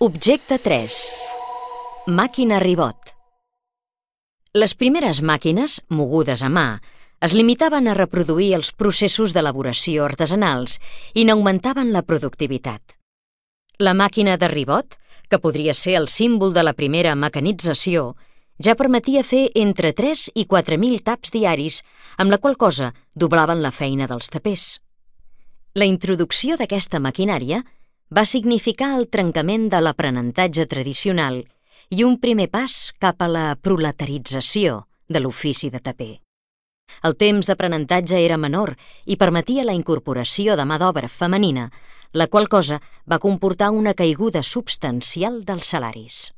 Objecte 3. Màquina ribot. Les primeres màquines, mogudes a mà, es limitaven a reproduir els processos d'elaboració artesanals i n'augmentaven la productivitat. La màquina de ribot, que podria ser el símbol de la primera mecanització, ja permetia fer entre 3 i 4.000 taps diaris, amb la qual cosa doblaven la feina dels tapers. La introducció d'aquesta maquinària va significar el trencament de l'aprenentatge tradicional i un primer pas cap a la proletarització de l'ofici de taper. El temps d'aprenentatge era menor i permetia la incorporació de mà d'obra femenina, la qual cosa va comportar una caiguda substancial dels salaris.